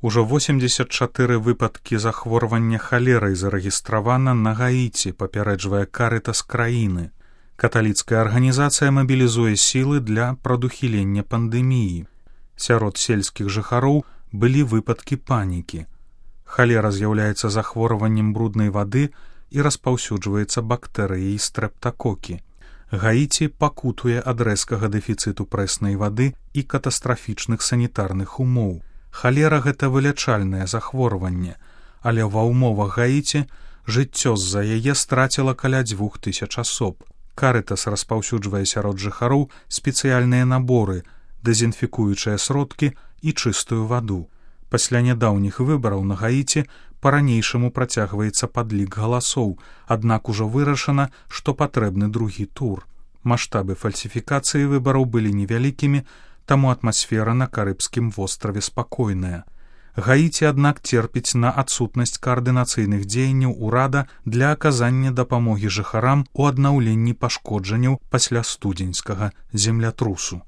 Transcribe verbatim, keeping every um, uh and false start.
Ужо восемьдзесят чатыры выпадкі захворвання халерай зарэгістравана на Гаіці, папярэджвае Карытас краіны. Каталіцкая арганізацыя мабілізуе сілы для прадухілення пандэміі. Сярод сельскіх жыхароў былі выпадкі панікі. Халера з'яўляецца захворваннем бруднай вады і распаўсюджваецца бактэрыяй стрэптакокі. Гаіці пакутуе ад рэзкага дэфіцыту прэснай вады і катастрафічных санітарных умоў. Халера – гэта вылячальнае захворванне, але ва ўмовах Гаіці жыццё з-за яе страціла каля дзвюх тысяч асоб. Карытас распаўсюджвае сярод жыхароў спецыяльныя наборы, дэзінфікуючыя сродкі і чыстую ваду. Пасля нядаўніх выбараў на Гаіці па-ранейшаму працягваецца падлік галасоў, аднак ужо вырашана, што патрэбны другі тур. Маштабы фальсіфікацыі выбараў былі невялікімі, таму атмасфера на Карыбскім востраве спакойная. Гаіці, аднак, церпіць на адсутнасць каардынацыйных дзеянняў урада для аказання дапамогі жыхарам у аднаўленні пашкоджанняў пасля студзеньскага землятрусу.